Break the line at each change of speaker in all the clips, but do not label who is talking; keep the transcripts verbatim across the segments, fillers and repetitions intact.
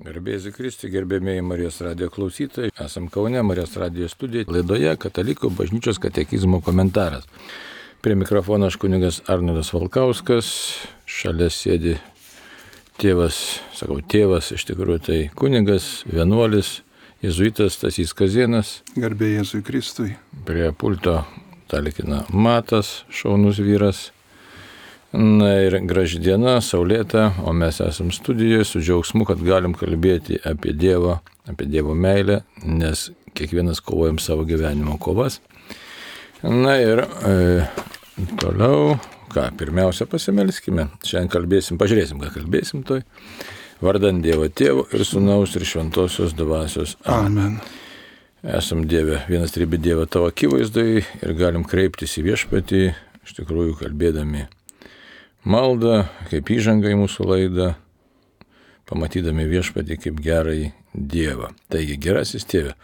Garbė Jėzui Kristui, gerbėmėjai Marijos radijo klausytojai, esam Kaune, Marijos radijo studijoje, laidoje Katalikų bažnyčios katekizmo komentaras. Prie mikrofono aš kunigas Arnoldas Valkauskas, šalia sėdi tėvas, sakau tėvas, iš tikrųjų tai kunigas, vienuolis, jėzuitas Stasys Kazėnas.
Garbė Jėzui Kristui.
Prie pulto talkina Matas, šaunus vyras. Na ir graži diena, saulėta, o mes esam studijoje su džiaugsmu, kad galim kalbėti apie Dievą, apie Dievo meilę, nes kiekvienas kovojam savo gyvenimo kovas. Na ir e, toliau, ką, pirmiausia pasimelskime. Šiandien kalbėsim, pažiūrėsim, ką kalbėsim toj. Vardant Dievo Tėvo ir Sūnaus ir Šventosios Dvasios.
Amen.
Esam Dieve, vienas trybė Dievą tavo akivaizdai ir galim kreiptis į Viešpatį, iš tikrųjų kalbėdami maldą, kaip įžanga į mūsų laidą, pamatydami Viešpatį kaip gerąjį Dievą. Taigi, gerasis Tėve,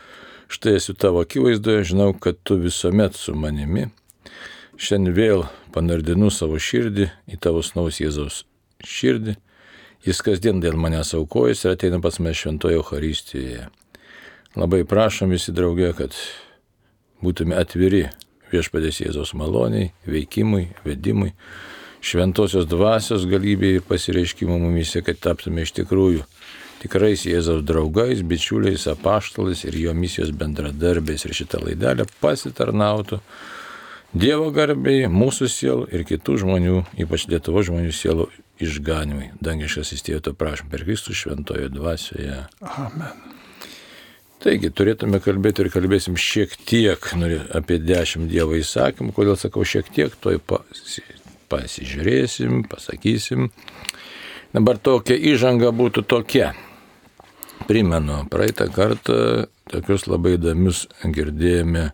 štai esu tavo akivaizdoje, žinau, kad tu visuomet su manimi. Šiandien vėl panardinu savo širdį į tavo sūnaus Jėzaus širdį. Jis kasdien dėl manęs aukojasi ir ateina pas mane šventoje Eucharistijoje. Labai prašom visi drauge, kad būtume atviri Viešpatės Jėzaus maloniai, veikimui, vedimui, Šventosios Dvasios galybėje ir pasireiškimo mumise, kad taptume iš tikrųjų tikrais Jėzaus draugais, bičiuliais, apaštalais ir jo misijos bendradarbiais ir šitą laidelę pasitarnautų Dievo garbei, mūsų sielų ir kitų žmonių, ypač Lietuvos žmonių sielų išganimui. Dangiškasis Tėve, to prašom per Kristų šventojo dvasioje.
Amen.
Taigi, turėtume kalbėti ir kalbėsim šiek tiek apie dešimt Dievo įsakymų. Kodėl sakau šiek tiek, toj pasi, pasižiūrėsim, pasakysim. Dabar tokia įžanga būtų tokia. Primenu, praeitą kartą tokius labai įdomius girdėjome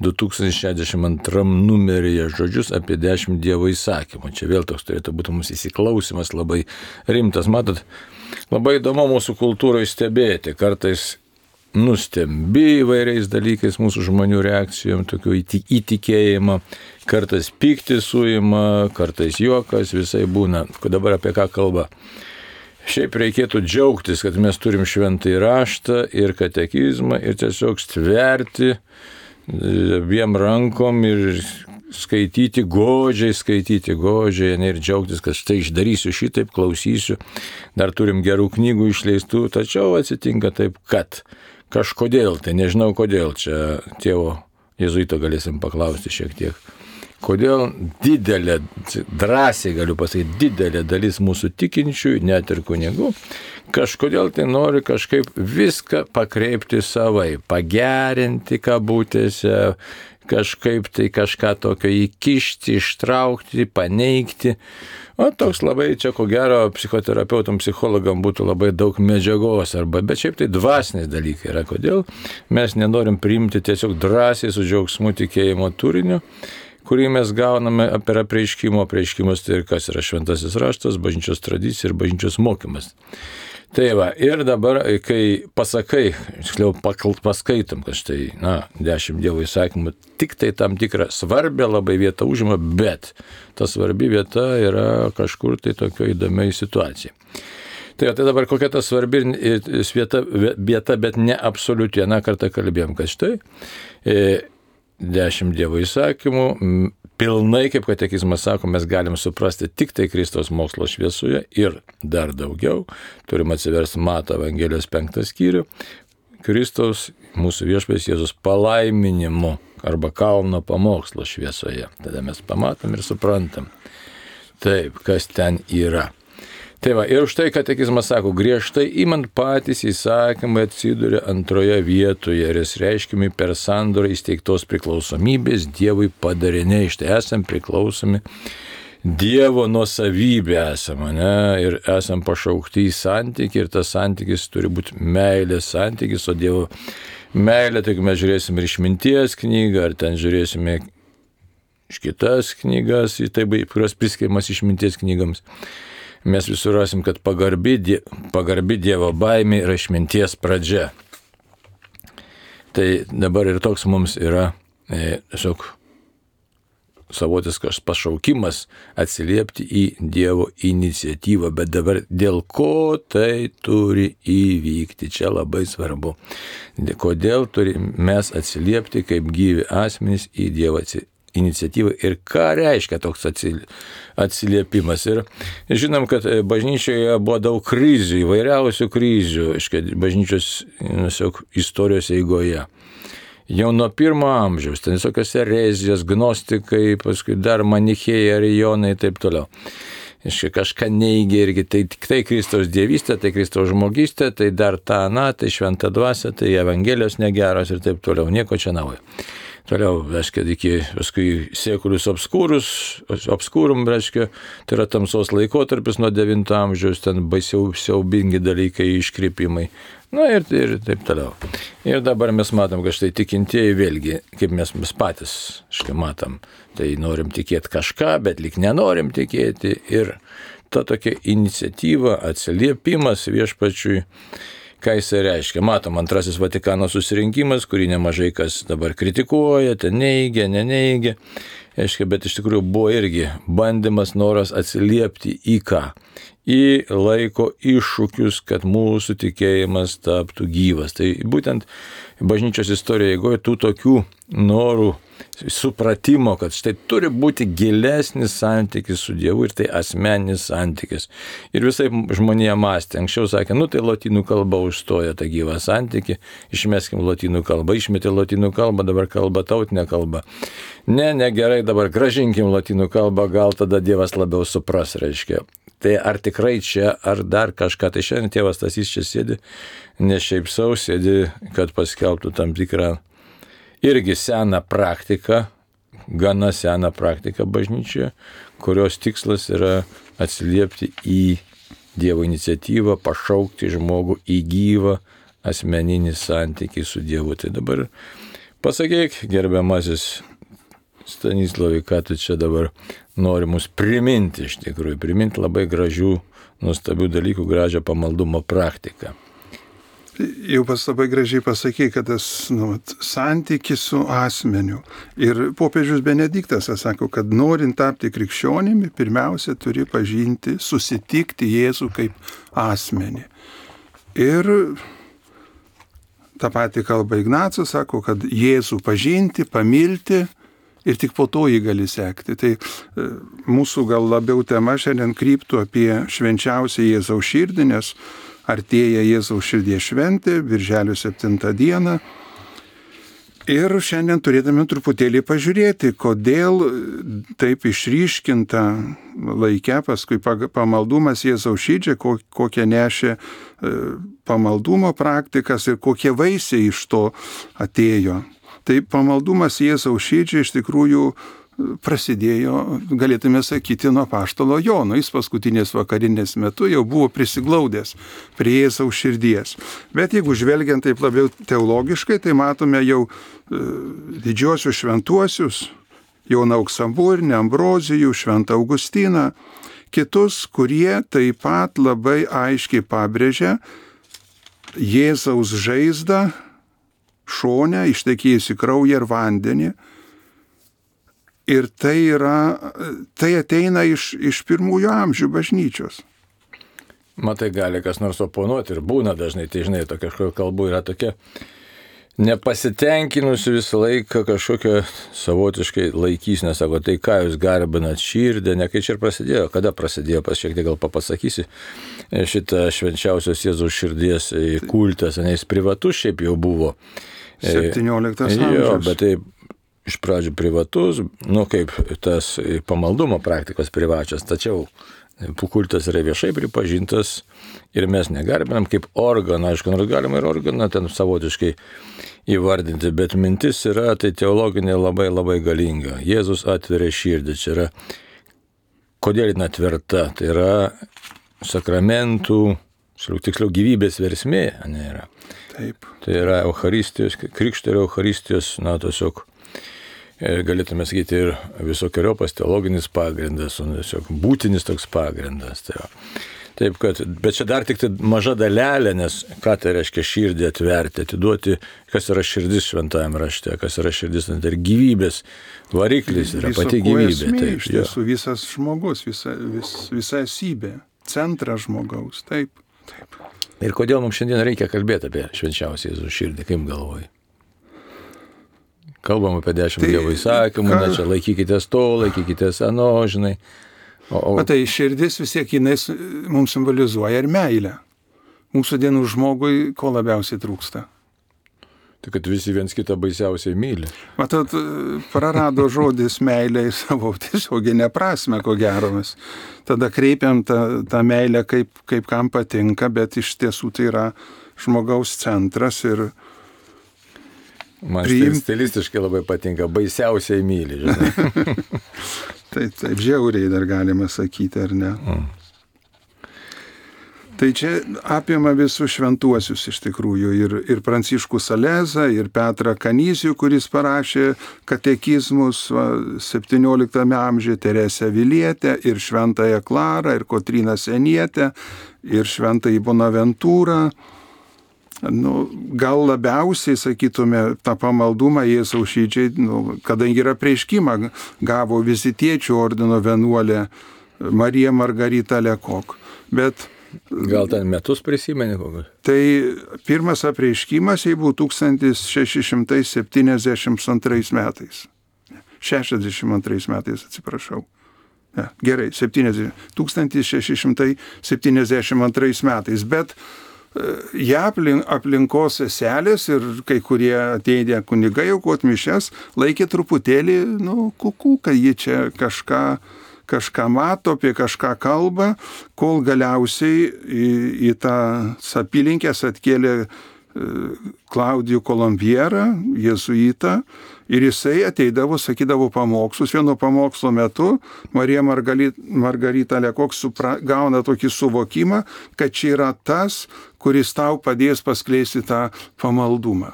du tūkstančiai šešiasdešimt antram numeryje žodžius apie dešimt Dievo įsakymų. Čia vėl toks turėtų būti mūsų įsiklausimas labai rimtas. Matot, labai įdomu mūsų kultūroje stebėti. Kartais nustembi įvairiais dalykais mūsų žmonių reakcijom, tokių įtikėjimo. Kartais pyktis suima, kartais juokas, visai būna. Dabar apie ką kalba? Šiaip reikėtų džiaugtis, kad mes turim šventąjį raštą ir katekizmą ir tiesiog stverti abiem rankom ir skaityti godžiai, skaityti godžiai ir džiaugtis, kad štai išdarysiu šitaip, klausysiu. Dar turim gerų knygų išleistų, tačiau atsitinka taip, kad kažkodėl, tai nežinau kodėl, čia tėvo jėzuito galėsim paklausti šiek tiek. Kodėl didelė, drąsiai galiu pasakyti, didelė dalis mūsų tikinčiųjų, net ir kunigų, kažkodėl tai nori kažkaip viską pakreipti savai, pagerinti kabutėse, kažkaip tai kažką tokio įkišti, ištraukti, paneigti. O toks labai čia, ko gero, psichoterapeutam, psichologam būtų labai daug medžiagos, arba, bet šiaip tai dvasiniai dalykai yra. Kodėl mes nenorim priimti tiesiog drąsiai su džiaugsmu tikėjimo turiniu, kurį mes gauname per apreiškimo. Apreiškimas tai ir kas yra šventasis raštas, bažnyčios tradicija ir bažnyčios mokymas. Tai va, ir dabar, kai pasakai, tiksliau paskaitom, kad štai, na, dešimt Dievo įsakymų, tik tai tam tikrą svarbę labai vietą užima, bet ta svarbi vieta yra kažkur tai tokio įdomiai situacija. Tai, tai dabar kokia ta svarbi vieta, vieta, bet ne absoliuti. Vieną kartą kalbėjom, kad štai e, dešimt Dievo įsakymų pilnai, kaip katekizmas sako, mes galim suprasti tik tai Kristaus mokslo šviesoje ir dar daugiau. Turim atsiversti Mato Evangelijos penktą skyrių. Kristaus, mūsų Viešpats Jėzus palaiminimu arba kalno pamokslo šviesoje. Tada mes pamatom ir suprantam. Taip, kas ten yra. Tai va, ir už tai katekizmas sako, griežtai imant patys įsakymai atsiduria antroje vietoje ir jis reiškimi per sandorą įsteigtos priklausomybės Dievui padariniai. Štai esam priklausomi Dievo nuosavybė esame, ne? Ir esam pašaukti į santykį ir tas santykis turi būti meilės santykis, o Dievo meilė, tai mes žiūrėsim ir išminties knygą, ar ten žiūrėsime iš kitas knygas, tai, kurios priskiriamas išminties knygams. Mes visur rasim, kad pagarbi, die, pagarbi Dievo baimė yra išminties pradžia. Tai dabar ir toks mums yra e, tiesiog savotiškas pašaukimas atsiliepti į Dievo iniciatyvą, bet dabar dėl ko tai turi įvykti, čia labai svarbu. Kodėl turime mes atsiliepti kaip gyvi asmenys į Dievo iniciatyvą ir ką reiškia toks atsiliepimas. Ir žinom, kad bažnyčioje buvo daug krizių, įvairiausių krizių, bažnyčios istorijos eigoje. Jau nuo pirmo amžiaus, ten visokios erezijos, gnostikai, paskui dar manichėjai, arijonai ir taip toliau. Iškai kažką neigia irgi, tai tik tai Kristaus dievystė, tai Kristaus žmogystė, tai dar ta, na, tai šventa dvasia, tai evangelijos negeros ir taip toliau, nieko čia naujo. Toliau, reiškia, iki paskui sekulius obskūrus, obskūrum, reiškia, tai yra tamsos laikotarpis nuo devinto amžiaus, ten baisiau siaubingi dalykai, iškrypimai. Na ir, ir taip toliau. Ir dabar mes matom, kad štai tikintieji vėlgi, kaip mes, mes patys, štai matom, tai norim tikėti kažką, bet lyg nenorim tikėti. Ir ta tokia iniciatyva, atsiliepimas viešpačiui, ką jisai reiškia. Matom, antrasis Vatikano susirinkimas, kurį nemažai kas dabar kritikuoja, ten neigia, neneigia. Reiškia, bet iš tikrųjų buvo irgi bandymas, noras atsiliepti į ką? Į laiko iššūkius, kad mūsų tikėjimas taptų gyvas. Tai būtent bažnyčios istorijoje eigoje tų tokių norų, supratimo, kad štai turi būti gilesnis santykis su Dievu ir tai asmeninis santykis. Ir visai žmonija mąstė. Anksčiau sakė, nu tai lotynų kalba užstoja tą gyvą santykį, išmeskim lotynų kalbą, išmetė lotynų kalbą, dabar kalba tautinė kalba. Ne, negerai, dabar gražinkim lotynų kalbą, gal tada Dievas labiau supras, reiškia. Tai ar tikrai čia, ar dar kažką, tai šiandien tėvas Stasys čia sėdi, ne šiaip sau sėdi, kad paskelbtų tam tikrą irgi seną praktiką, gana seną praktiką bažnyčioje, kurios tikslas yra atsiliepti į Dievo iniciatyvą, pašaukti žmogų į gyvą asmeninį santykį su Dievu. Tai dabar pasakyk, gerbiamasis Stanislavai, ką tu čia dabar nori mus priminti, iš tikrųjų, priminti labai gražių, nuostabių dalykų, gražią pamaldumo praktiką.
Jau pas labai gražiai pasakė, kad tas nu, santykis su asmeniu. Ir popiežius Benediktas sako, kad norint tapti krikščionimi, pirmiausia turi pažinti, susitikti Jėzų kaip asmenį. Ir tą patį kalba Ignacas, sako, kad Jėzų pažinti, pamilti ir tik po to jį gali sekti. Tai e, mūsų gal labiau tema šiandien kryptų apie švenčiausią Jėzaus širdį, nes artėja Jėzaus širdies šventė, birželio septintą dieną. Ir šiandien turėtume truputėlį pažiūrėti, kodėl taip išryškinta laike, paskui pamaldumas Jėzaus širdžiai, kokią nešė pamaldumo praktikas ir kokie vaisiai iš to atėjo. Tai pamaldumas Jėzaus širdžiai iš tikrųjų prasidėjo, galėtume sakyti, nuo apaštalo Jono. Jis paskutinės vakarinės metu jau buvo prisiglaudęs prie Jėzaus širdies. Bet jeigu žvelgiant taip labiau teologiškai, tai matome jau e, didžiosius šventuosius, Joną Auksaburnį, Ambrozijų, Šventą Augustiną, kitus, kurie taip pat labai aiškiai pabrėžia Jėzaus žaizdą, šonę, ištekėjusi kraują ir vandenį. Ir tai, yra, tai ateina iš, iš pirmųjų amžių bažnyčios.
Matai, gali kas nors oponuoti ir būna dažnai, tai žinai, tokia kažkokia kalbų yra tokia nepasitenkinusi visą laiką kažkokia savotiškai laikysnė, sako, tai ką jūs garbinat širdį, ne kai čia ir prasidėjo, kada prasidėjo, pas šiek tiek gal papasakysi, šitą švenčiausios Jėzaus širdies kultas, nes privatus šiaip jau buvo.
septynioliktas amžius.
Jo, bet tai iš pradžių privatus, nu kaip tas pamaldumo praktikos privačios, tačiau kultas yra viešai pripažintas ir mes negarbinam kaip organą, aišku, nors galima ir organą ten savotiškai įvardinti, bet mintis yra tai teologinė labai labai galinga. Jėzus atveria širdį, čia yra, kodėl jin atverta, tai yra sakramentų, tiksliau gyvybės versmė, ne yra.
Taip.
Tai yra Eucharistijos, krikšto ir Eucharistijos, na, tiesiog galėtume sakyti ir visokiojopas teologinis pagrindas, tiesiog būtinis toks pagrindas. Tai, Taip, kad, bet čia dar tik tai maža dalelė, nes ką tai reiškia širdį atverti, atiduoti, kas yra širdis šventajame rašte, kas yra širdis, tai yra gyvybės variklis, yra
Viso
pati
ko
gyvybė.
esmė,
Taip,
iš tiesų visas žmogus, visa, vis, visa esybė, centras žmogaus, taip, taip.
Ir kodėl mums šiandien reikia kalbėti apie švenčiausią Jėzų širdį, kaip galvoji? Kalbam apie dešimt
Tai
Dievo įsakymų,
ką-
na čia laikykitės to, laikykitės ano, žinai. O, o,
Matai, širdis vis tiek jinai s- mums simbolizuoja ir meilę. Mūsų dienų žmogui ko labiausiai trūksta.
tai kad visi viens kitą baisiausiai myli.
Matot, prarado žodis meilė į savo tiesioginę prasme, ko gero mes. Tada kreipiam tą, tą meilę kaip, kaip kam patinka, bet iš tiesų tai yra žmogaus centras ir
Man
Priim-
stilistiškai labai patinka, baisiausiai myli, žinai.
taip, taip žiauriai dar galima sakyti, ar ne?
Mm.
Tai čia apima visus šventuosius iš tikrųjų ir, ir Pranciškų Salezą, ir Petrą Kanyzių, kuris parašė katekizmus va, septynioliktame amžiuje, Teresę Vilietę, ir Šventąją Klarą, ir Kotryną Senietę, ir Šventąjį Bonaventūrą. Nu, gal labiausiai, sakytume, tą pamaldumą Jėzaus širdžiai, nu, kadangi yra prieškimą, gavo vizitiečių ordino vienuolė Marija Margarita Lekok. Bet
Gal ten metus prisimeni kokius?
tai pirmas apreiškimas jai buvo tūkstantis šeši šimtai septyniasdešimt antrais metais. šešiasdešimt antrais metais, atsiprašau. Ne, gerai, septyniasdešimt tūkstantis šeši šimtai septyniasdešimt antrais metais. Bet ją aplink, aplinkos seselės ir kai kurie ateidę kunigai aukot mišias laikė truputėlį, nu, kuku, kad ji čia kažką kažką mato, apie kažką kalba, kol galiausiai į, į tą apylinkės atkėlė Klaudijų Kolombierą, jėzuitą, ir jisai ateidavo, sakydavo pamokslus. Vieno pamokslo metu Marija Margarita, Margarita Lekok supra, gauna tokį suvokimą, kad čia yra tas, kuris tau padės paskleisti tą pamaldumą.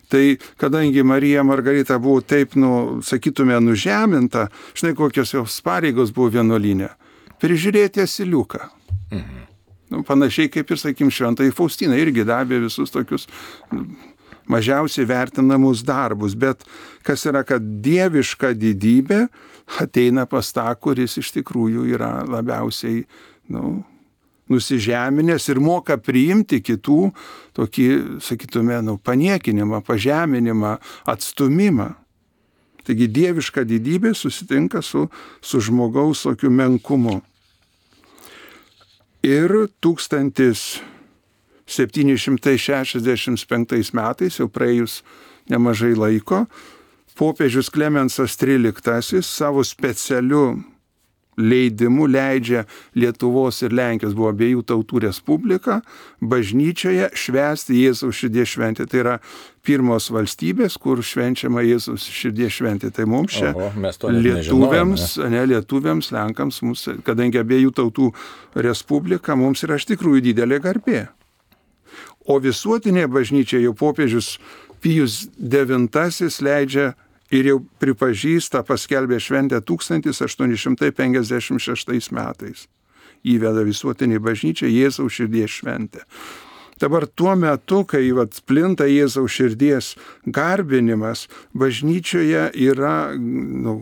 Tai kadangi Marija Margarita buvo taip, nu, sakytume, nužeminta, žinai, kokios jos pareigos buvo vienuolyne, prižiūrėti asiliuką. Mhm. Nu, panašiai kaip ir, sakykim, Šventai Faustina irgi davė visus tokius mažiausiai vertinamus darbus, bet kas yra, kad dieviška didybė ateina pas tą, kuris iš tikrųjų yra labiausiai, nu, nusižeminęs ir moka priimti kitų tokį, sakytume, nu, paniekinimą, pažeminimą, atstumimą. Taigi dieviška didybė susitinka su, su žmogaus tokiu menkumu. Ir tūkstantis septyni šimtai šešiasdešimt penktais metais, jau praėjus nemažai laiko, popiežius Klemensas tryliktasis savo specialiu leidimu leidžia Lietuvos ir Lenkijos, buvo abiejų tautų respublika, bažnyčioje švęsti Jėzaus širdies šventę. Tai yra pirmos valstybės, kur švenčiama Jėzaus širdies šventė. Tai mums čia
Oho, mes to net
lietuviams,
nežinojome.
ne, lietuviams, lenkams, mums, kadangi abiejų tautų respublika, mums yra iš tikrųjų didelė garbė. O visuotinė bažnyčia jau popiežius Pijus devintasis leidžia ir jau pripažįsta, paskelbė šventę tūkstantis aštuoni šimtai penkiasdešimt šeštais metais. Įveda visuotinį bažnyčią Jėzaus širdies šventę. Dabar tuo metu, kai vat, plinta Jėzaus širdies garbinimas, bažnyčioje yra, nu,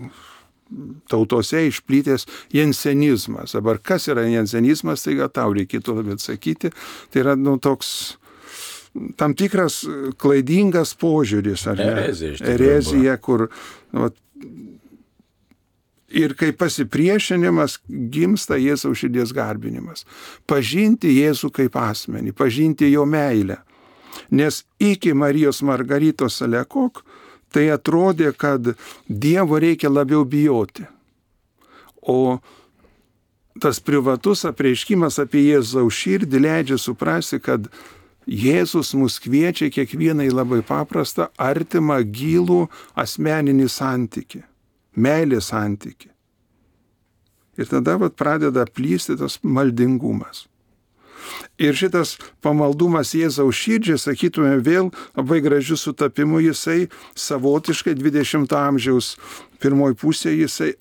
tautose išplytęs jensenizmas. Dabar kas yra jensenizmas, tai gal tau reikėtų labiau atsakyti. Tai yra, nu, toks tam tikras klaidingas požiūris, ar ne?
Erezija, iš tikrųjų,
Erezija, kur, nu, ir kaip pasipriešinimas gimsta Jėzaus širdies garbinimas. Pažinti Jėzų kaip asmenį, pažinti jo meilę. Nes iki Marijos Margaritos Lekok tai atrodė, kad Dievo reikia labiau bijoti. O tas privatus apreiškimas apie Jėzaus širdį leidžia suprasti, kad Jėzus mus kviečia kiekvienai labai paprastą, artimą, gilų asmeninį santykį, meilės santykį. Ir tada vat, pradeda plysti tas maldingumas. Ir šitas pamaldumas Jėzaus širdžiai, sakytume, vėl labai gražiu sutapimu, jisai savotiškai dvidešimto amžiaus pirmoji pusė, jisai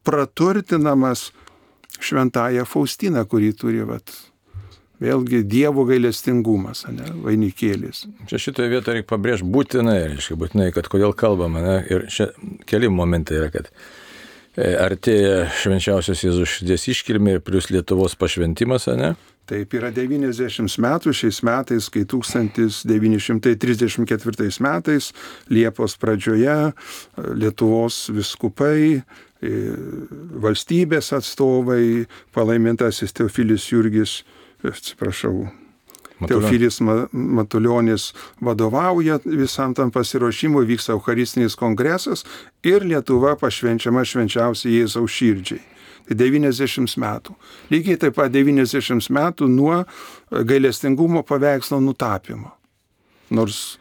praturtinamas šventąją Faustiną, kurį turi, vat, vėlgi, Dievo gailestingumas, ne, vainikėlis.
Čia šitoje vietoje reikia pabrėžti būtinai, reiškia, būtinai, kad kodėl kalbame, ne? Ir čia keli momentai yra, kad artėja švenčiausios Jėzaus širdies iškilmė ir plus Lietuvos pašventimas, ne?
Taip, yra devyniasdešimt metų šiais metais, kai tūkstantis devyni šimtai trisdešimt ketvirtais metais Liepos pradžioje Lietuvos viskupai, valstybės atstovai, palaimintasis Teofilis Jurgis, atsiprašau, Teofilis Matulionis vadovauja visam tam pasiruošimui, vyksta Eucharistinis kongresas ir Lietuva pašvenčiama švenčiausiai Jėzaus širdžiai. Tai devyniasdešimt metų. Lygiai taip pat devyniasdešimt metų nuo gailestingumo paveikslo nutapymo. Nors...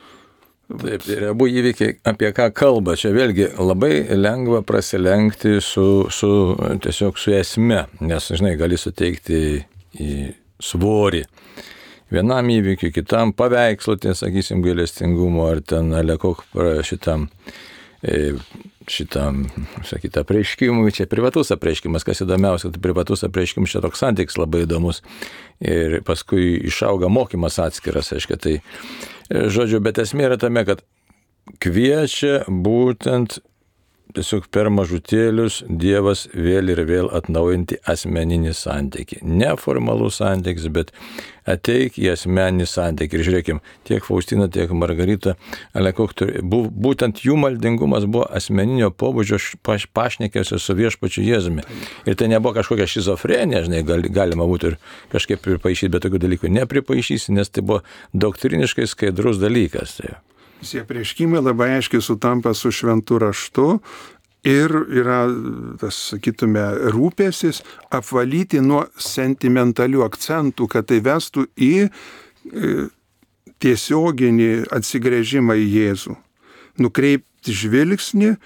Taip, ir abu įvykiai, apie ką kalba, čia vėlgi labai lengva prasilenkti su, su, tiesiog su esme, nes, žinai, gali suteikti į svorį vienam įvykiui, kitam paveikslo, tai sakysim, gailestingumo, ar ten alekok šitam, šitam, sakyt, apreiškimui, čia privatus apreiškimas, kas įdomiausia, tai privatus apreiškimas, čia toks santykis labai įdomus ir paskui išauga mokymas atskiras, aiškia, tai, žodžiu, bet esmė yra tame, kad kviečia būtent tiesiog per mažutėlius Dievas vėl ir vėl atnaujinti asmeninį santykį. Ne formalus santykis, bet ateik į asmeninį santykį. Ir žiūrėkim, tiek Faustina, tiek Margarita, būtent jų maldingumas buvo asmeninio pobūdžio pašnekėsio su viešpačiu Jėzumi. Ir tai nebuvo kažkokia šizofrenija, žinai, galima būtų ir kažkaip pripaišyti, bet tokių dalykų nepripaišysi, nes tai buvo doktriniškai skaidrus dalykas. Tai.
Tie prieškimai labai aiškiai sutampa su šventu raštu ir yra, tas, sakytume, rūpėsis apvalyti nuo sentimentalių akcentų, kad tai vestų į tiesioginį atsigręžimą į Jėzų. Nukreipti žvilgsnį,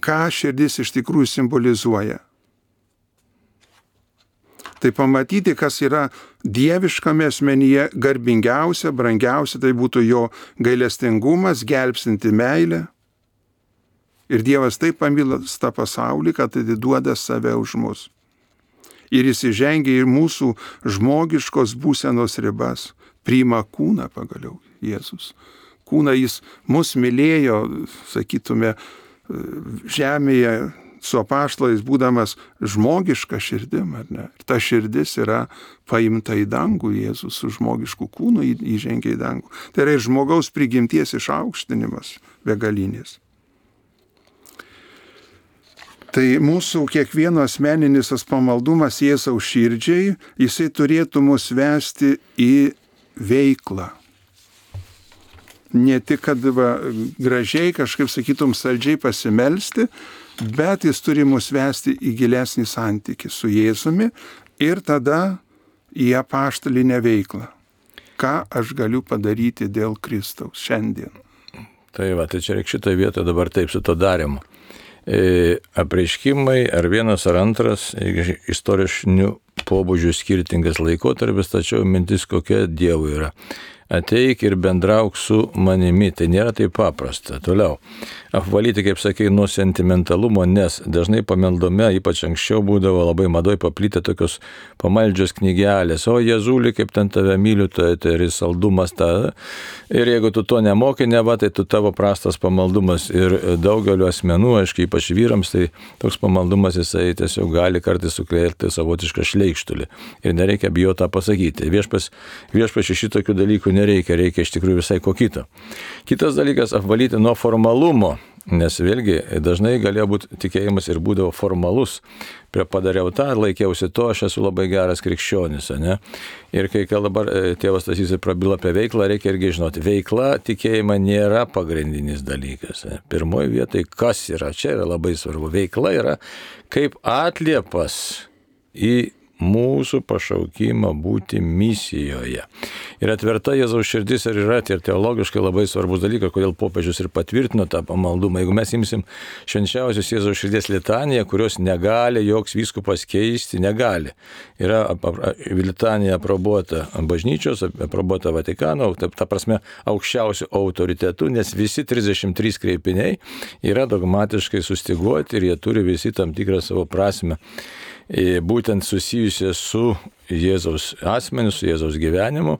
ką širdis iš tikrųjų simbolizuoja. Tai pamatyti, kas yra dieviškame asmenyje garbingiausia, brangiausia, tai būtų jo gailestingumas, gelbstinti meilę. Ir Dievas taip pamilo tą pasaulį, kad atiduoda save už mus. Ir jis įžengia į mūsų žmogiškos būsenos ribas, priima kūną pagaliau Jėzus. Kūną jis mus mylėjo, sakytume, žemėje, su apaštalais būdamas žmogiška širdim, ar ne? Ir ta širdis yra paimta į dangų, Jėzus su žmogišku kūnu įžengia į dangų. Tai yra ir žmogaus prigimties išaukštinimas begalinis. Tai mūsų kiekvieno asmeninis tas pamaldumas Jėzaus širdžiai, jisai turėtų mus vesti į veiklą. Ne tik, kad va, gražiai kažkaip, sakytum, saldžiai pasimelsti, bet jis turi mus vesti į gilesnį santykį su Jėzumi ir tada į apaštalinę veiklą. Ką aš galiu padaryti dėl Kristaus šiandien?
Tai va, tai čia reikia šitoje vietoje dabar taip su to darimu. E, apreiškimai ar vienas ar antras istorinių pobūdžių skirtingas laikotarpis, tačiau mintis kokia Dievui yra. Ateik ir bendrauk su manimi, tai nėra taip paprasta. Toliau, apvalyti, kaip sakai, nuo sentimentalumo, nes dažnai pamaldome, ypač anksčiau būdavo labai madoj paplitę tokios pamaldžios knygelės, o Jėzuli, kaip ten tave myliu, tai, tai ir saldumas ta. Ir jeigu tu to nemoki, neva, tai tu tavo prastas pamaldumas. Ir daugeliu asmenų, aiškiai, ypač vyrams, tai toks pamaldumas jisai tiesiog gali kartais sukelti savotišką šleikštulį. Ir nereikia bijoti tą pasakyti. Viešpas, viešpas šitokių dalykų nereikia, reikia iš tikrųjų visai ko kito. Kitas dalykas - apvalyti nuo formalumo, nes vėlgi dažnai galėjo būti tikėjimas ir būdavo formalus. Prie padariau tą, laikiausi to, aš esu labai geras krikščionis, ne? Ir kai dabar tėvas Stasys prabilo apie veiklą, reikia irgi žinoti, veikla tikėjimą nėra pagrindinis dalykas. Ne? Pirmoji vietoje, kas yra, čia yra labai svarbu. Veikla yra kaip atliepas į mūsų pašaukimą būti misijoje. Ir atverta Jėzaus širdis ir yra ir teologiškai labai svarbus dalykas, kodėl popiežius ir patvirtino tą pamaldumą. Jeigu mes imsim švenčiausios Jėzaus širdies litaniją, kurios negali joks vyskupas keisti, negali. Yra litanija aprobuota bažnyčios, aprobuota Vatikano, ta, ta prasme aukščiausių autoritetų, nes visi trisdešimt trys kreipiniai yra dogmatiškai sustiguoti ir jie turi visi tam tikrą savo prasme. būtent susijusią su Jėzaus asmeniu, su Jėzaus gyvenimu.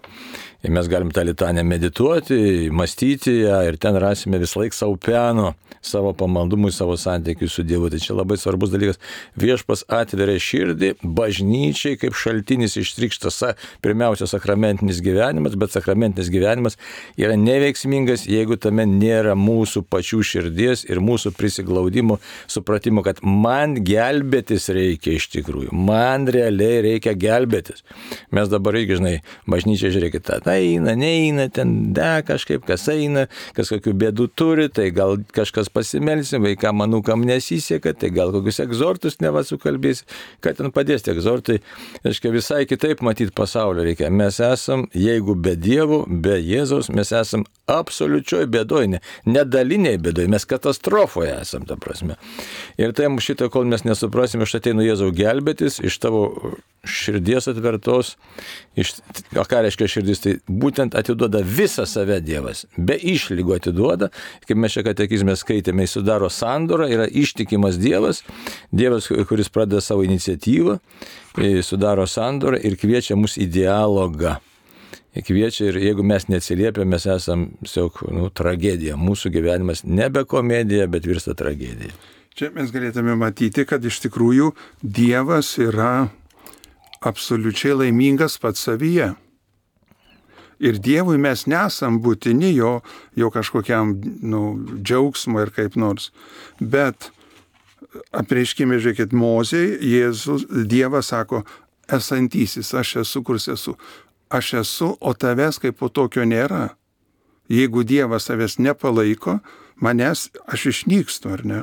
Ir mes galim tą litaniją medituoti, mąstyti ją ir ten rasime vis laik savo peno, savo pamaldumui, savo santykiui su Dievu. Tai čia labai svarbus dalykas. Viešpas atveria širdį, bažnyčiai kaip šaltinis ištrykštas pirmiausia sakramentinis gyvenimas, bet sakramentinis gyvenimas yra neveiksmingas, jeigu tame nėra mūsų pačių širdies ir mūsų prisiglaudimo, supratimo, kad man gelbėtis reikia iš tikrųjų. Man realiai reikia gelbėtis. Mes dabar irgi, žinai, bažnyčia žiūrėkit, tą eina, neina, ten de kažkaip, kas eina, kas kokių bėdų turi, tai gal kažkas pasimelsim, vaikam manukam nesiseka, tai gal kokius egzortus neva sukalbės, kad ten padės tie egzortai. Reiškia, visai kitaip matyti pasaulio reikia. Mes esam, jeigu be Dievo, be Jėzaus, mes esam absoliučioj bėdoj, ne, nedaliniai bėdoj, mes katastrofoje esam, ta prasme. Ir tai šitą, kol mes nesuprasim, aš ateinu Jėzau gelbėtis iš tavo širdies atvertos, iš, o ką reiškia širdis, tai būtent atiduoda visą save Dievas, be išlygų atiduoda, kaip mes čia katekizme skaitėme, jis sudaro sandorą, yra ištikimas Dievas, Dievas, kuris pradeda savo iniciatyvą, sudaro sandorą ir kviečia mus į dialogą. Kviečia ir jeigu mes neatsiliepia, mes esam tiesiog nu, tragedija, mūsų gyvenimas nebe komedija, bet virsta tragedija.
Čia mes galėtume matyti, kad iš tikrųjų Dievas yra absoliučiai laimingas pats savyje. Ir Dievui mes nesam būtini jo, jo kažkokiam nu, džiaugsmo ir kaip nors. Bet apreiškime, žiūrėkit, Mozei, Jėzus, Dievas sako, esantysis, aš esu, kurs esu. Aš esu, o tavęs kaip po tokio nėra. Jeigu Dievas tavęs nepalaiko, manęs aš išnykstu, ar ne?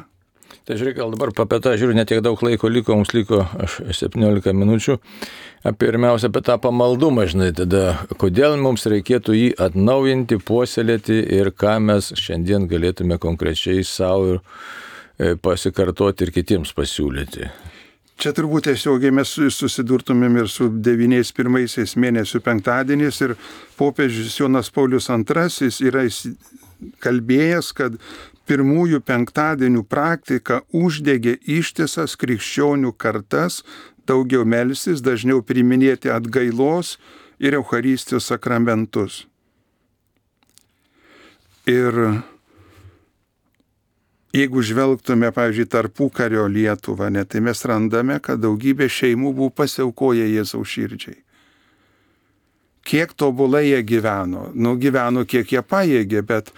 Tai žiūrėk, gal dabar apie tą žiūriu, netiek daug laiko liko, mums liko septyniolika minučių. Pirmiausia, apie tą pamaldumą, žinai, tada kodėl mums reikėtų jį atnaujinti, puoselėti ir ką mes šiandien galėtume konkrečiai savo ir pasikartoti ir kitiems pasiūlyti.
Čia turbūt tiesiogiai mes susidurtumėm ir su devyniais pirmaisiais mėnesių penktadieniais ir popiežius Jonas Paulius antrasis yra kalbėjęs, kad pirmųjų penktadienių praktika uždegė ištisas krikščionių kartas daugiau melstis, dažniau priiminėti atgailos ir Eucharistijos sakramentus. Ir jeigu žvelgtume, pavyzdžiui, tarpukario Lietuvą, ne, tai mes randame, kad daugybė šeimų buvo pasiaukoję Jėzaus širdžiai. Kiek tobulai jie gyveno, nu gyveno kiek jie pajėgė, bet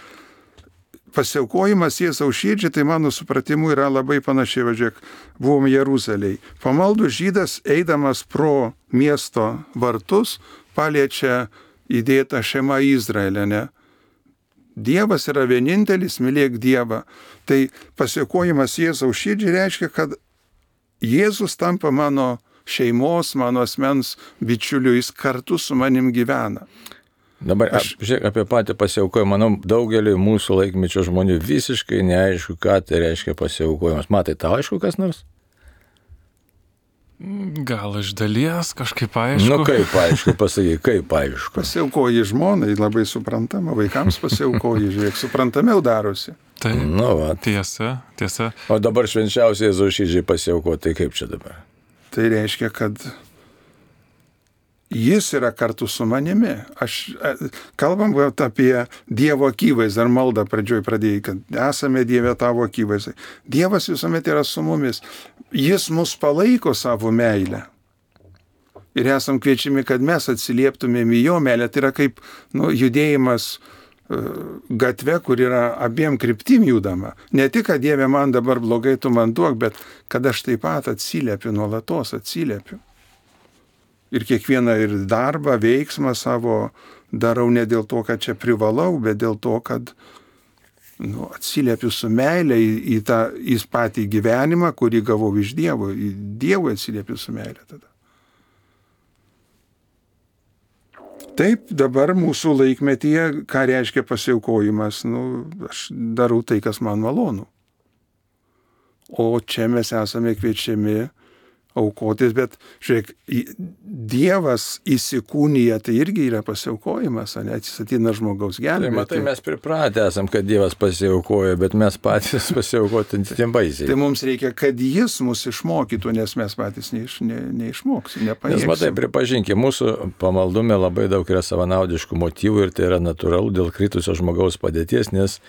pasiaukojimas Jėzaus širdžiai, tai mano supratimu yra labai panašiai, važiuok, buvom Jeruzalėj. Pamaldus žydas, eidamas pro miesto vartus, paliečia įdėtą šeimą Izraelę, ne? Dievas yra vienintelis, mylėk Dievą. Tai pasiaukojimas Jėzaus širdžiai reiškia, kad Jėzus tampa mano šeimos, mano asmens bičiuliu, jis kartu su manim gyvena.
Dabar aš žiūrėk, apie patį pasiaukojimą, manau, daugeliui mūsų laikmečio žmonių visiškai neaišku, ką tai reiškia pasiaukojimas. Matai, tau aišku kas nors?
Gal iš dalies kažkaip aišku.
Nu kaip aišku, pasakyk, kaip aišku.
Pasiaukoji žmonai, labai suprantama, vaikams pasiaukoji, žiūrėk, suprantamiau darosi.
Tai
nu, va.
tiesa, tiesa.
O dabar švenčiausiai Jėzaus širdžiai pasiauko, tai kaip čia dabar?
Tai reiškia, kad jis yra kartu su manimi. Aš, kalbam apie Dievo akivaizdį, ar maldą pradžioj pradėjai, kad esame Dieve tavo akivaizdai. Dievas visuomet yra su mumis. Jis mus palaiko savo meilę. Ir esam kviečiami, kad mes atsilieptumėm į jo meilę. Tai yra kaip nu, judėjimas gatve, kur yra abiem kryptim judama. Ne tik, kad Dieve man dabar blogai, tu man duok, bet kad aš taip pat atsiliepiu, nuolatos atsiliepiu. Ir kiekvieną ir darbą, veiksmą savo darau ne dėl to, kad čia privalau, bet dėl to, kad nu, atsiliepiu su meilė į, į tą į patį gyvenimą, kurį gavau iš Dievo. Į Dievui atsiliepiu su meilė tada. Taip, dabar mūsų laikmetyje, ką reiškia pasiaukojimas, nu, aš darau tai, kas man malonu. O čia mes esame kviečiami aukotis, bet žiūrėk, Dievas įsikūnija, tai irgi yra pasiaukojimas, ne, atsisatina žmogaus gelbėti.
Tai matai, mes pripratę esam, kad Dievas pasiaukoja, bet mes patys pasiaukoti tiem baisiai.
Tai mums reikia, kad Jis mus išmokytų, nes mes patys neiš, ne, neišmoksim, nepajėgsim.
Nes matai, pripažinkime, mūsų pamaldume labai daug yra savanaudiškų motyvų ir tai yra natūralu dėl kritusio žmogaus padėties, nes,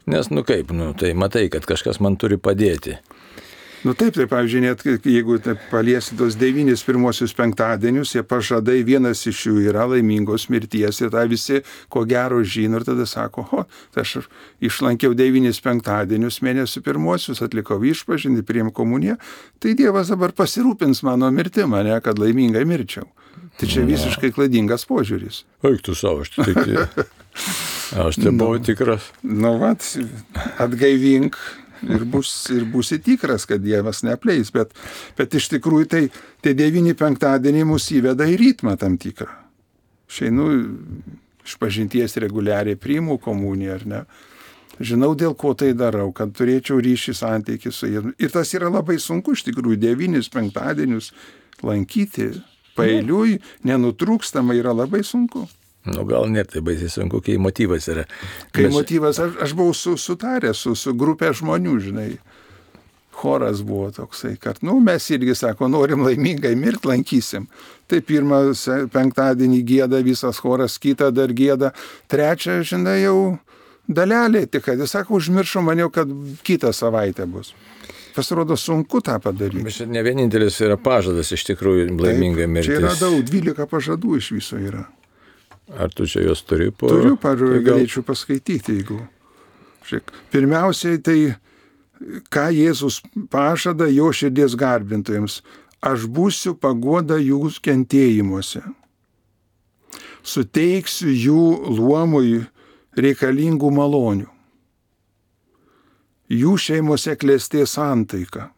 nes nu kaip, nu, tai matai, kad kažkas man turi padėti.
Nu taip, tai pavyzdžiui, net jeigu paliesi tos devynis pirmosius penktadienius, jie pažadai, vienas iš jų yra laimingos mirties ir tą visi ko gero žino ir tada sako, o, tai aš išlankiau devynis penktadienius, mėnesių pirmosius, atlikau išpažinti, priėmiau komuniją, tai Dievas dabar pasirūpins mano mirtimą, ne, kad laimingai mirčiau. Tai čia visiškai klaidingas požiūris.
Eik tu savo, aš tai, aš tai buvau tikras.
Nu, vat, atgaivink. Ir, bus, ir būsi tikras, kad Dievas neapleis, bet, bet iš tikrųjų tai tie devyni penktadieniai mus įveda į ritmą tam tikrą. Šeinu iš pažinties reguliariai, priimu komuniją, ar ne. Žinau, dėl ko tai darau, kad turėčiau ryšį santykį su jais. Ir tas yra labai sunku, iš tikrųjų, devynis penktadienius lankyti paeiliui, nenutrūkstamai yra labai sunku.
Nu, gal net tai baisiai sunku, kai motyvas yra.
Kai Mes... motyvas, aš, aš buvau su, sutaręs su, su grupė žmonių, žinai. Choras buvo toksai, kad, nu, mes irgi, sako, norim laimingai mirt, lankysim. Tai pirmą penktadienį gėda visas choras, kitą dar gėda, trečią, žinai, jau dalelė, tik kad jis sako, užmiršau, maniau, kad kitą savaitę bus. Pasirodo, sunku tą padaryti.
Bet čia ne vienintelis yra pažadas iš tikrųjų laimingai mirtis.
Čia yra daug, dvylika pažadų iš viso yra.
Ar tu čia jos turi po...
Turiu, pažiūrėjau, galėčiau paskaityti, jeigu... Žiūrėk, pirmiausiai tai, ką Jėzus pažada jo širdies garbintojams. Aš būsiu paguoda jų kentėjimuose. Suteiksiu jų luomui reikalingų malonių. Jų šeimose klestės santaika.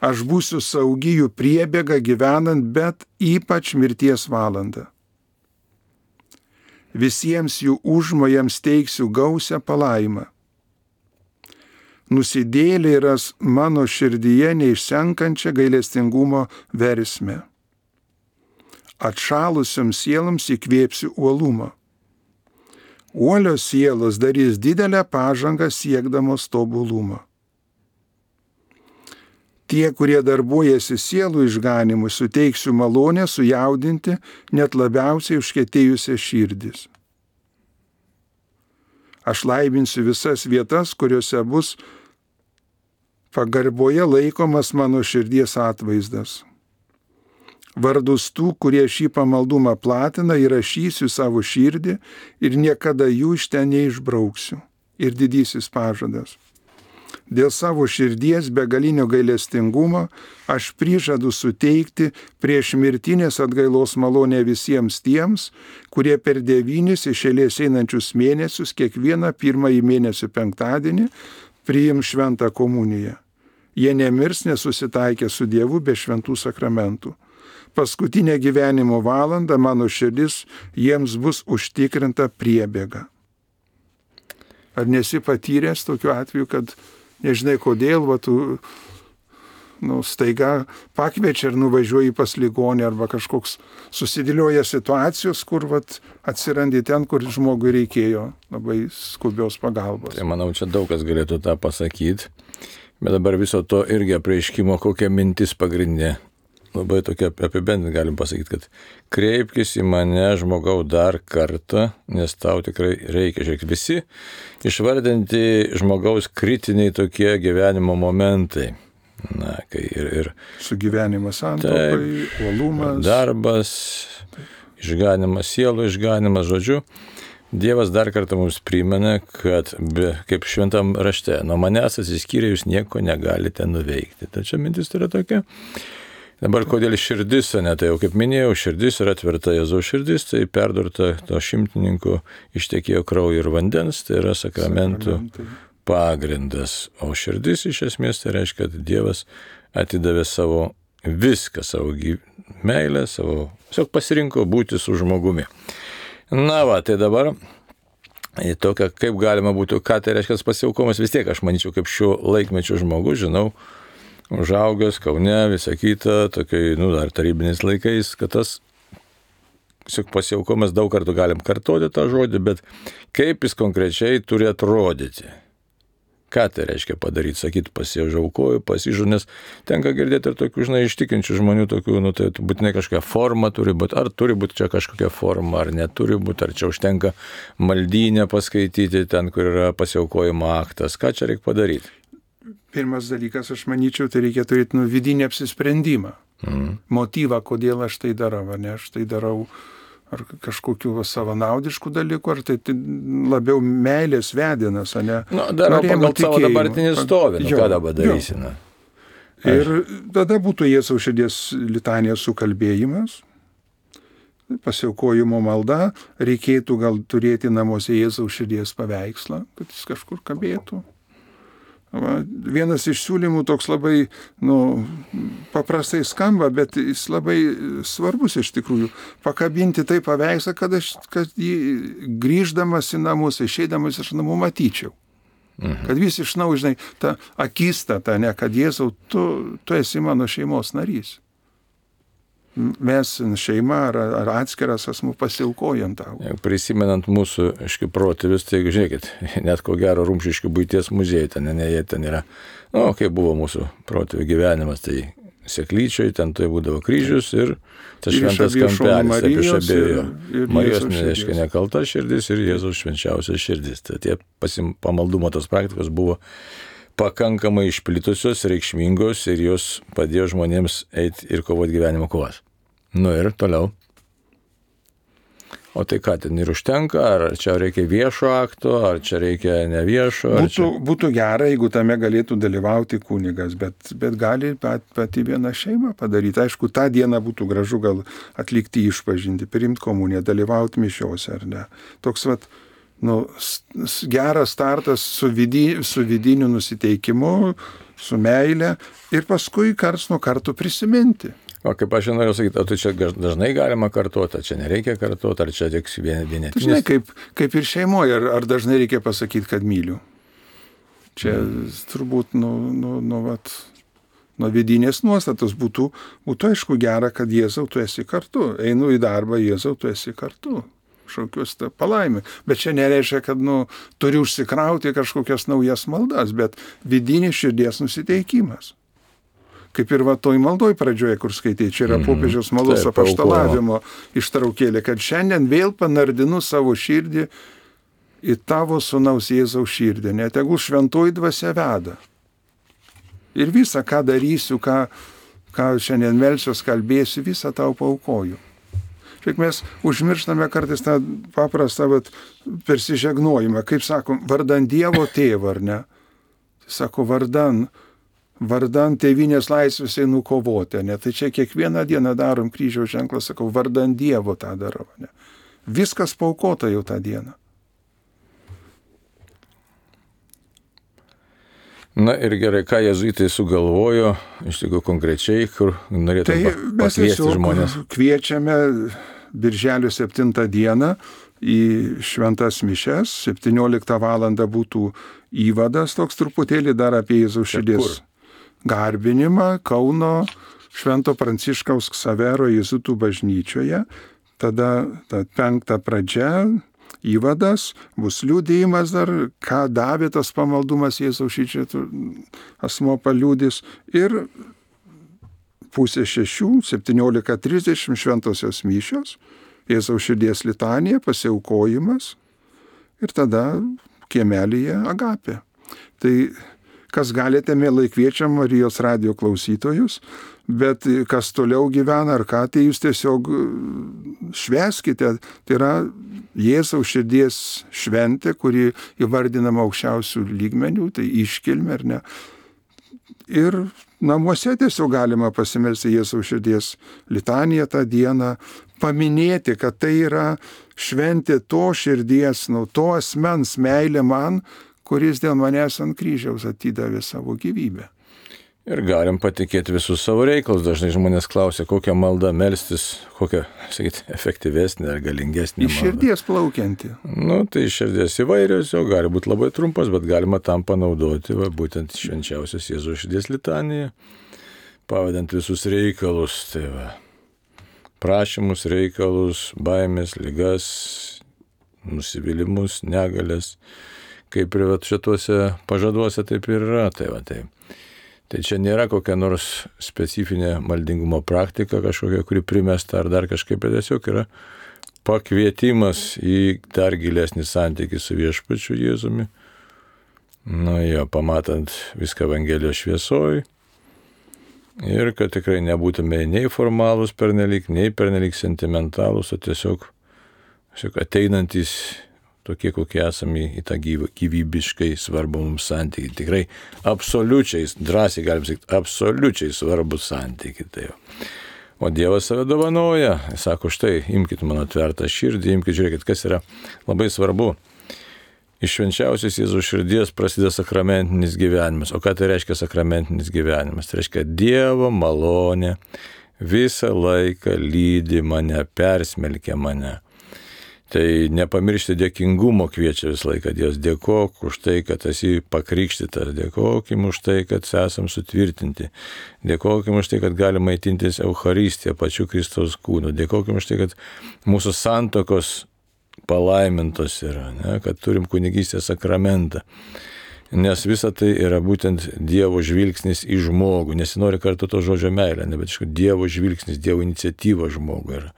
Aš būsiu saugi jų priebėga gyvenant, bet ypač mirties valandą. Visiems jų užmojams teiksiu gausią palaimą. Nusidėjėliai ras mano širdyje neišsenkančią gailestingumo versmę. Atšalusioms sieloms įkvėpsiu uolumą. Uolios sielos darys didelę pažangą siekdamos tobulumą. Tie, kurie darbuojasi sielų išganimui, suteiksiu malonę sujaudinti net labiausiai užkietėjusias širdis. Aš laiminsiu visas vietas, kuriuose bus pagarboje laikomas mano širdies atvaizdas. Vardus tų, kurie šį pamaldumą platina, įrašysiu savo širdį ir niekada jų iš ten neišbrauksiu. Ir didysis pažadas. Dėl savo širdies begalinio gailestingumo aš prižadu suteikti prieš mirtinės atgailos malonę visiems tiems, kurie per devynis iš eilės einančius mėnesius kiekvieną pirmąjį mėnesio penktadienį priims šventą komuniją. Jie nemirs nesusitaikę su Dievu be šventų sakramentų. Paskutinę gyvenimo valandą mano širdis jiems bus užtikrinta priebėga. Ar nesi patyręs tokiu atveju, kad nežinai kodėl, va, tu nu, staiga pakviečia ir nuvažiuoji pas ligonį arba kažkoks susidėlioja situacijos, kur va, atsirandi ten, kur žmogui reikėjo labai skubios pagalbos.
Tai manau, čia daug kas galėtų tą pasakyti, bet dabar viso to irgi apreiškimo kokia mintis pagrindinė. Labai tokia apibendrinti galim pasakyti, kad kreipkis į mane žmogau dar kartą, nes tau tikrai reikia. Žiūrėk, visi išvardinti žmogaus kritiniai tokie gyvenimo momentai. Na, kai ir, ir
sugyvenimas santuokai, uolumas,
darbas, išganimas, sielų išganimas, žodžiu. Dievas dar kartą mums primena, kad be, kaip šventam rašte, nuo manęs atsiskyrę jūs nieko negalite nuveikti. Tačiau mintis yra tokia. Dabar kodėl širdis, ne, tai jau kaip minėjau, širdis yra tvirta Jėzaus širdis, tai perdurta to šimtininko ištekėjo kraujo ir vandens, tai yra sakramentų pagrindas. O širdis iš esmės tai reiškia, kad Dievas atidavė savo viską, savo meilę, savo, tiesiog pasirinko būti su žmogumi. Na va, tai dabar į tokią, kaip galima būtų, ką tai reiškia pasiaukomas, vis tiek aš manyčiau, kaip šiuo laikmečiu žmogus, žinau, užaugęs Kaune, visą kitą, tokiai, nu, dar tarybiniais laikais, kad tas tiesiog pasiaukomas daug kartų galim kartoti tą žodį, bet kaip jis konkrečiai turi atrodyti. Ką tai reiškia padaryti, sakyti, pasiaukoju, pasižu, nes tenka girdėti ir tokių, žinai, ištikinčių žmonių, tokių, nu, tai būtinai kažkokia forma turi būti, ar turi būti čia kažkokia forma, ar neturi būti, ar čia užtenka maldynę paskaityti ten, kur yra pasiaukojimo aktas, ką čia reikia padaryti.
Pirmas dalykas, aš manyčiau, tai reikia turėti nu, vidinį apsisprendimą, mm. motyvą, kodėl aš tai darau, ar ne, aš tai darau ar kažkokių savanaudiškų dalykų, ar tai, tai labiau meilės vedinas, ar ne?
Nu, darau pagal savo dabartinį stovį, nu, ką dabar darysi, na.
Ir tada būtų Jėzaus širdies litanijos sukalbėjimas, pasiaukojimo malda, reikėtų gal turėti namuose Jėzaus širdies paveikslą, kad jis kažkur kabėtų. Va, vienas iš siūlymų toks labai nu, paprastai skamba, bet jis labai svarbus iš tikrųjų. Pakabinti tai paveikslą, kad aš kad jį grįždamas į namus, išeidamas iš namų matyčiau. Mhm. Kad vis iš naujo, žinai, ta akistata, ne, kad Jėzau, tu, tu esi mano šeimos narys. Mes šeima ar, ar atskiras asmuo pasiaukojam tau.
Prisimenant mūsų, aiškiai, protėvius, tai žiūrėkit, net ko gero Rumšiškių buities muziejai, ten, ne, jie ten yra, nu, kaip buvo mūsų protėvių gyvenimas, tai Seklyčioj, ten tai būdavo kryžius ir tas šventas kampelis, taip iš abiejų. Marijos, reiškia, nekalta širdis ir Jėzaus švenčiausias širdis. Tai tie pasim, pamaldumo tos praktikos buvo pakankamai išplitusios, reikšmingos ir jos padėjo žmonėms eiti ir kovoti gyvenimo kovas. Nu ir toliau. O tai ką, ten ir užtenka, ar čia reikia viešo akto, ar čia reikia neviešo?
Būtų,
čia...
būtų gera, jeigu tame galėtų dalyvauti kunigas, bet, bet gali pat, pati viena šeima padaryti. Aišku, tą dieną būtų gražu gal atlikti išpažinti, priimti komuniją, dalyvauti mišiose ar ne. Toks vat, nu, geras startas su, vidy, su vidiniu nusiteikimu, su meile ir paskui karts nuo karto prisiminti.
O kaip aš norėjau sakyti, o tai čia dažnai galima kartuoti, ar čia nereikia kartuoti, ar čia tik vienetinis?
Žinai, kaip, kaip ir šeimoje, ar, ar dažnai reikia pasakyti, kad myliu. Čia mm. turbūt nu, nu, nu, vat, nuo vidinės nuostatos būtų, būtų aišku gera, kad Jėzau, tu esi kartu. Einu į darbą, Jėzau, tu esi kartu. Šaukiuosi tą palaimę. Bet čia nereiškia, kad nu, turi užsikrauti kažkokias naujas maldas, bet vidinis širdies nusiteikimas. Kaip ir va toj maldoj pradžioje, kur skaitai, čia yra popiežiaus maldos mm-hmm. apaštalavimo ištraukėlė, kad šiandien vėl panardinu savo širdį į tavo sūnaus Jėzaus širdį, netegul šventoji dvasia veda. Ir visą, ką darysiu, ką, ką šiandien melsiuos, kalbėsiu, visą tau paaukoju. Šiek mes užmirštame kartais tą paprastą vat, persižegnojimą, kaip sakom, vardan Dievo tėvo, ar ne? Sako, vardan vardan tėvynės laisvės einu kovoti, ne? Tai čia kiekvieną dieną darom kryžiaus ženklą, sakau, vardan Dievo tą darau, ne? Viskas paaukota jau tą dieną.
Na ir gerai, ką jėzuitai sugalvojo, iš tikrųjų konkrečiai, kur norėtume tai pakviesti žmonės.
Kviečiame birželio septintą dieną į šventas mišias, septynioliktą valandą būtų įvadas toks truputėlį dar apie Jėzaus širdies garbinimą Kauno Švento Pranciškaus Ksavero jėzuitų bažnyčioje. Tada ta penkta pradžia, įvadas, bus liudijimas dar, ką davė tas pamaldumas Jėzaus širdies asmuo paliudys. Ir pusė šešių, septyniolika trisdešimt šventosios mišios, Jėzaus širdies litanija, pasiaukojimas ir tada kiemelyje agapė. Tai kas galite, mielai kviečiam Marijos radijo klausytojus, bet kas toliau gyvena ar ką, tai jūs tiesiog švęskite. Tai yra Jėzaus širdies šventė, kuri įvardinama aukščiausių lygmenių, tai iškilmė ar ne. Ir namuose tiesiog galima pasimelsti Jėzaus širdies litaniją tą dieną, paminėti, kad tai yra šventė to širdies, nu, to asmens meilė man, kuris dėl manęs ant kryžiaus atidavė savo gyvybę.
Ir galim patikėti visus savo reikalus. Dažnai žmonės klausia, kokią maldą melstis, kokią, sakyti, efektyvesnė ar galingesnė
Iš
malda.
širdies plaukianti.
Nu, tai iš širdies įvairios, jau gali būti labai trumpas, bet galima tam panaudoti, va, būtent švenčiausios Jėzaus širdies litaniją, pavadant visus reikalus, tai va, prašymus, reikalus, baimės, ligas, nusivylimus, negalės, kaip ir va, šituose pažaduose taip ir yra, tai va, tai. Tai čia nėra kokia nors specifinė maldingumo praktika kažkokia, kuri primesta ar dar kažkaip, bet tiesiog yra pakvietimas į dar gilesnį santykį su viešpačiu Jėzumi. Na jo, pamatant viską Evangelijos šviesoj. Ir kad tikrai nebūtume nei formalūs pernelyg, nei pernelyg sentimentalūs, o tiesiog, tiesiog ateinantys tokie, kokie esame į tą gyvybiškai svarbų mums santykį. Tikrai absoliučiai, drąsiai galim sakyti, absoliučiai svarbus santykį. Tai jau. O Dievas save dovanoja. Jis sako, štai, imkite mano tvertą širdį, imkite, žiūrėkit, kas yra labai svarbu. Iš švenčiausios Jėzaus širdies prasideda sakramentinis gyvenimas. O ką tai reiškia sakramentinis gyvenimas? Tai reiškia Dievo malonė visą laiką lydi mane, persmelkia mane. Tai nepamiršti dėkingumo kviečia visą laiką. Dievas, dėkok už tai, kad esi pakrikštytas, dėkokim už tai, kad esam sutvirtinti, dėkokim už tai, kad galime maitintis Eucharistiją, pačiu Kristaus kūnu, dėkokim už tai, kad mūsų santokos palaimintos yra, ne? Kad turim kunigystės sakramentą. Nes visa tai yra būtent Dievo žvilgsnis į žmogų. Nesinori kartu to žodžio meilė, ne, bet iš Dievo žvilgsnis, Dievo iniciatyva žmogui yra.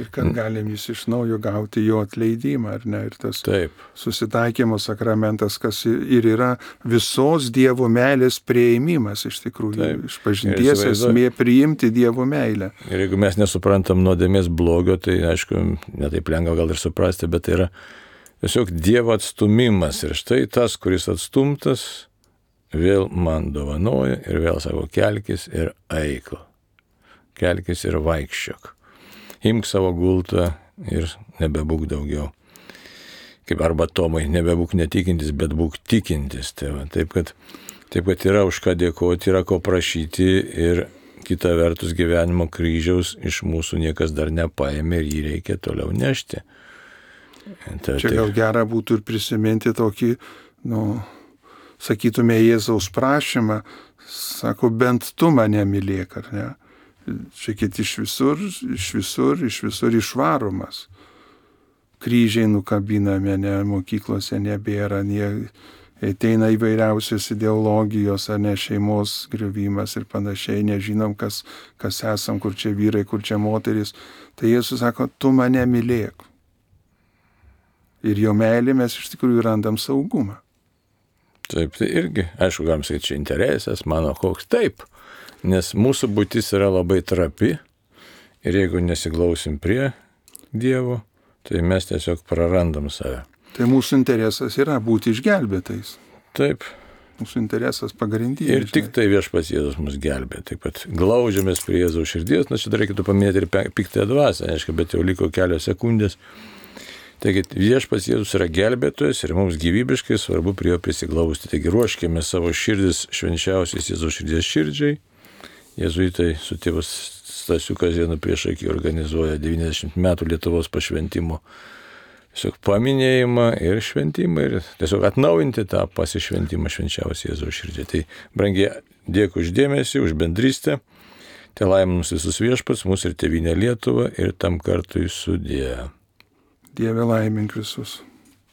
Ir kad galim jis iš naujo gauti jo atleidimą, ar ne? Ir tas
Taip.
susitaikymo sakramentas, kas ir yra visos Dievo meilės prieimimas, iš tikrųjų.
Taip.
Iš pažinties esmė priimti Dievo meilę.
Ir jeigu mes nesuprantam nuodėmės blogio, tai aišku, netaip lengva gal ir suprasti, bet tai yra tiesiog Dievo atstumimas. Ir štai tas, kuris atstumtas, vėl man dovanoja ir vėl sako, kelkis ir eik. Kelkis ir vaikščiok. Imk savo gultą ir nebebūk daugiau. Kaip arba Tomai, nebebūk netikintis, bet būk tikintis. Tai va, taip, kad, taip, kad yra už ką dėkoti, yra ko prašyti ir kita vertus gyvenimo kryžiaus iš mūsų niekas dar nepaėmė ir jį reikia toliau nešti. Ta,
Čia gal gera būtų ir prisiminti tokį, nu, sakytume, Jėzaus prašymą, sako, bent tu mane mylėk, ar ne? Čia kiti iš visur, iš visur, iš visur išvaromas. Kryžiai nukabinami, ne, mokyklose nebėra, nie, ateina įvairiausios ideologijos, ar ne, šeimos griuvimas ir panašiai, nežinom, kas, kas esam, kur čia vyrai, kur čia moteris. Tai Jėzus sako, tu mane mylėk. Ir jo meilė mes iš tikrųjų randam saugumą.
Taip, tai irgi, aišku, galim sakyti, čia interesas, mano koks, taip. Nes mūsų būtis yra labai trapi ir jeigu nesiglausim prie Dievo, tai mes tiesiog prarandam save.
Tai mūsų interesas yra būti išgelbėtais.
Taip.
Mūsų interesas pagrindinis.
Ir tik tai viešpats Jėzus mus gelbė. Taip pat glaudžiamės prie Jėzaus širdies, na čia dar reikėtų paminėti ir piktąją dvasią, aišku, bet jau liko kelios sekundės. Taigi viešpats Jėzus yra gelbėtojas ir mums gyvybiškai svarbu prie jo prisiglausti. Taigi ruoškime savo širdis švenčiausiais Jėzaus širdies širdžiai. Jėzuitai su tėvas Stasiu Kazėnu prieš akį organizuoja devyniasdešimt metų Lietuvos pašventimo tiesiog paminėjimą ir šventimą ir tiesiog atnaujinti tą pasišventimą švenčiausiai Jėzaus širdžiai. Tai brangiai, dėkui už dėmesį, už bendrystę. Tai laiminus visus viešpats, mūsų ir tėvynė Lietuva ir tam kartui sudie.
Dieve laimink visus.